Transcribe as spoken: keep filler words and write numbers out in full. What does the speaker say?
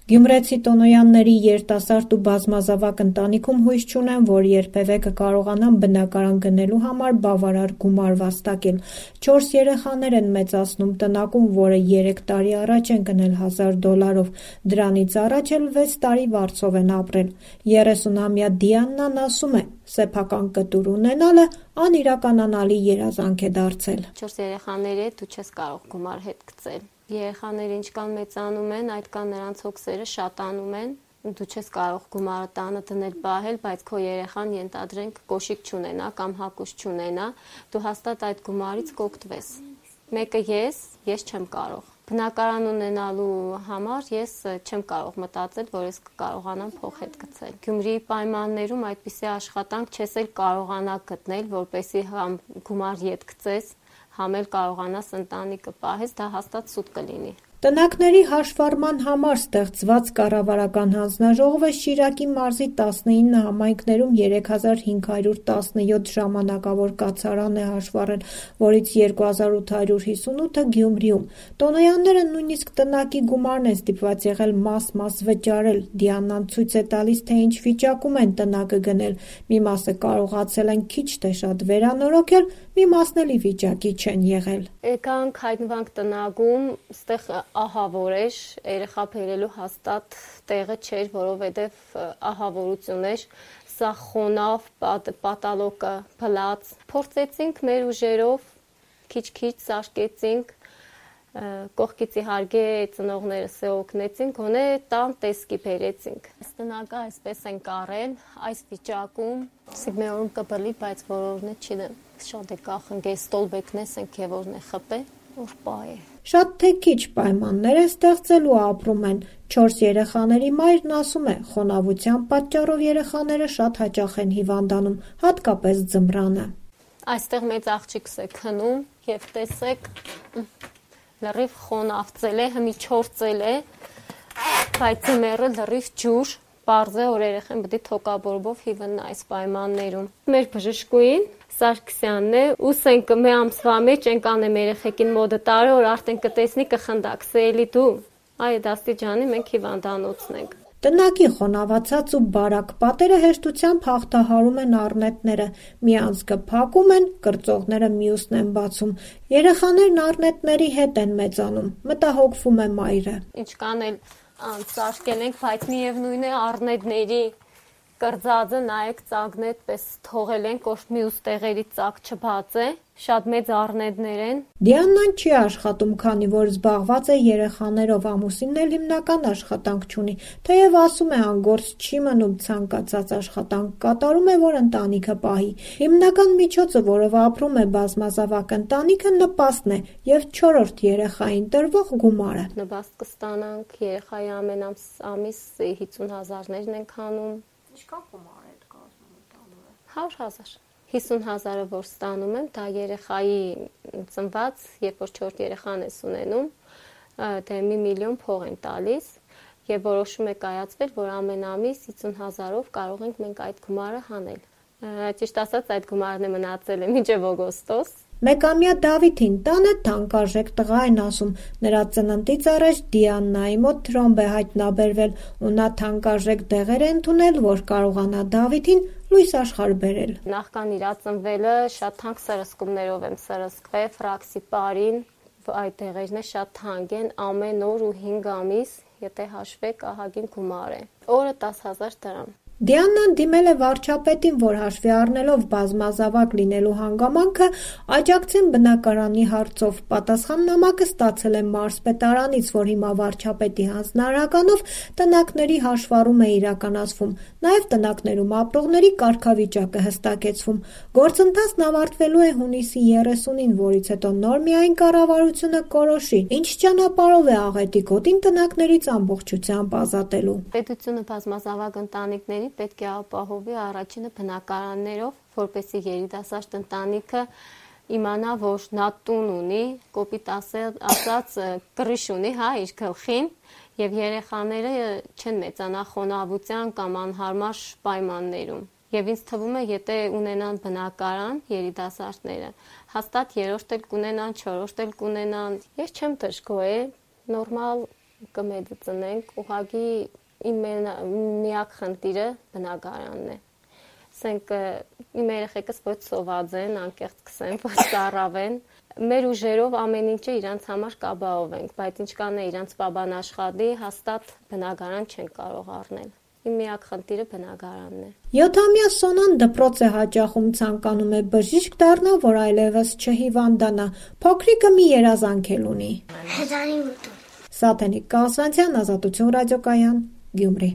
Գյումրեցի Տոնոյանների երիտասարդ ու բազմազավակ ընտանիքում հույս չունեն, որ երբևէ կկարողանան բնակարան գնելու համար բավարար գումար վաստակել։ Չորս երեխաներ են մեծացնում տնակում, որը երեք տարի առաջ են գնել հազար դոլարով, դրանից առաջ էլ վեց տարի վարձով են ապրել։ երեսունամյա Դիաննան ասում է, սեփական կտուր ունենալը անիրականանալի երազանք է դարձել։ Չորս երեխաների հետ դու չես կարող գումար հետ գցել։ Երեխաները ինչքան մեծանում են, այդքան նրանց հոգսերը շատանում են։ Դու չես կարող գումարը տանը դնել պահել, բայց քո երեխան ենթադրենք կոշիկ չունենա կամ հագուստ չունենա, դու հաստատ այդ գումարից կօգտվես։ Մեկը ես, ես չեմ կարող։ Բնակարան ունենալու համար ես չեմ կարող մտածել, որ ես կկարողանամ փող հետ գցել։ Գյումրիի պայմաններում այդպիսի աշխատանք չես էլ կարողանա գտնել, որպեսզի համ գումար ետ գցես, համ էլ կարողանաս ընտանիքը պահես, դա հաստատ սուտ կլինի։ Տնակների հաշվառման համար ստեղծված կառավարական հանձնաժողովը Շիրակի մարզի տասնինը համայնքներում երեք հազար հինգ հարյուր տասնյոթ ժամանակավոր կացարան է հաշվառել, որից երկու հազար ութ հարյուր հիսունութը Գյումրիում։ Տոնոյանները նույնիսկ տնակի գումարն են ստիպված եղել մաս-մաս վճարել։ Դիանան ցույց է տալիս, թե ինչ վիճակում են տնակը գնել։ Մի մասը կարողացել են քիչ թե շատ վերանորոգել, մի մասն էլ ի վիճակի չեն եղել։ Եկանք հայտնվանք տնակում, ստեղ ահավոր էր, երեխա բերելու հաստատ տեղը չէր, որովհետև ահավորություն էր, սա խոնավ, պատալոկը փլած։ Փորձեցինք մեր ուժերով, քիչ-քիչ սարքեցինք, կողքից իհարկե ծնողներս օգնեցին, գոնե տան տեսքի բերեցինք։ Տնակը այսպես են կարել, այս վիճակում, սիգմեորում կբլի, բայց որորն է չի դեմ։ Շատ է կախնգե ստոլբեկնես են քևորն է խպե, որ պայ է։ Շատ թե քիչ պայմաններ է ստեղծել ու ապրում են։ Չորս երեխաների մայրն ասում է, խոնավության պատճառով երեխաները շատ հաճախ են հիվանդանում, հատկապես ձմռանը։ Այստեղ մեծ աղջիկս է քնում եւ տեսեք լրիվ խոնավծել է, հմի չործել է, բայց ձմեռը լրիվ ջուր, պարզ է, որ երեխան պետք է թոկաբորբով հիվնա այս պայմաններում։ Մեր բժշկուին Սարգսյանն է, ուսենք մի ամսվա մեջ ենք անեմ երեխեքին մոդը տարը, որ արդեն կտեսնի կխնդակ, սելի դու, այդ աստիճանի մենք հիվանդանոցն ենք։ Տնակի խոնավացած ու բարակ պատերը հեշտությամբ հաղթահարում են առնետները, մի անցքը փակում են, կրծողները մյուսն են բացում։ Երեխաներն առնետների հետ են մեծանում, մտահոգվում է մայրը։ Ինչքան էլ անցարկել ենք, բայց միևնույն է առնետների կրծածը նայեք ծագն այդպես թողել են, ոչ մյուս տեղերի ծակ չբաց է, շատ մեծ առնետներ են։ Դիաննան չի աշխատում, քանի որ զբաղված է երեխաներով, ամուսինն էլ հիմնական աշխատանք չունի, թեև ասում է անգործ չի մնում ցանկացած աշխատանք կատարում է, որ ընտանիքը պահի։ Հիմնական միջոցը, որով ապրում է բազմազավակ ընտանիքը, նպաստն է եւ չորրորդ երեխային տրվող գումարը։ Նպաստ կստանանք, երեխայի ամեն ամիս հիսուն հազարներն ենք հանում։ Ինչքան գումար է կազմում տանում է։ հարյուր հազար։ հիսուն հազարը որ ստանում եմ, դա երեխայի ծնված, երբ որ չորրորդ երեխան ես ունենում, դե մի միլիոն փող են տալիս եւ որոշում է կայացվել, որ ամեն ամիս հիսուն հազարով կարող ենք մենք այդ գումարը հանել։ Ճիշտ ասած, այդ գումարն է մնացել է մինչեւ օգոստոս։ Մեկամյա Դավիթին տանը թանկարժեք տղա են ասում, նրա ծննդից առաջ Դիաննայի մոտ թրոմբ է հայտնաբերվել ու նա թանկարժեք դեղեր է ընդունել, որ կարողանա Դավիթին լույս աշխարհ բերել։ Նախքան իրա ծնվելը շատ թանկ սրսկումներով եմ սրսկվել, ֆրաքսիպարին, այդ դեղերն է շատ թանկ են, ամեն օր ու հինգ ամիս, եթե հաշվեք, ահագին գումար է։ Օրը տասը հազար դրամ։ Դիաննան դիմել է վարչապետին, որ հաշվի առնելով բազմազավակ լինելու հանգամանքը աջակցեն բնակարանի հարցով։ Պատասխան նամակը ստացել է մարզպետարանից, որ հիմա վարչապետի հանձնարարականով տնակների հաշվառում է իրականացվում, նաև տնակներում ապրողների կարգավիճակը հստակեցվում։ Գործընթացն ավարտվելու է հունիսի երեսունին, որից հետո նոր միայն կառավարությունը կորոշի, ինչ ճանապարհով է աղետի գոտին տնակներից ամբողջությամբ ազատելու։ Պետությունը բազմազավակ ընտանիքների պետք է ապահովի առաջինը բնակարաններով, որպեսզի երիտասարդ ընտանիքը իմանա, որ նա տուն ունի, կոպիտ ասած կռիչ ունի, հա, իր գլխին, եւ երեխաները չեն մեծանա խոնավության կամ անհարմար պայմաններում։ Եվ ինձ թվում է, եթե ունենան բնակարան երիտասարդները, հաստատ երրորդ էլ կունենան, չորրորդ էլ կունենան։ Ես չեմ դժգոհ, նորմալ կմեծացնենք, ուղղակի իմ միակ խնդիրը բնակարանն է։ Ասենք իմ երեխեքս ոչ սոված են, անկեղծ կսեմ, ոչ ծառավ են։ Մեր ուժերով ամեն ինչը իրանց համար կապահով ենք, բայց ինչքան է իրանց պապան աշխատի, հաստատ բնակարան չեն կարող առնել։ Իմ միակ խնդիրը բնակարանն է։ յոթամյա Սոնան դպրոց է հաճախում, ցանկանում է բժիշկ դառնա, որ այլևս չհիվանդանա։ Փոքրիկը մի երազանք էլ ունի։ Հեծանի մտում։ Սաթենիկ Կասվանցյան, Ազատություն ռադիոկայան, Գյումրի։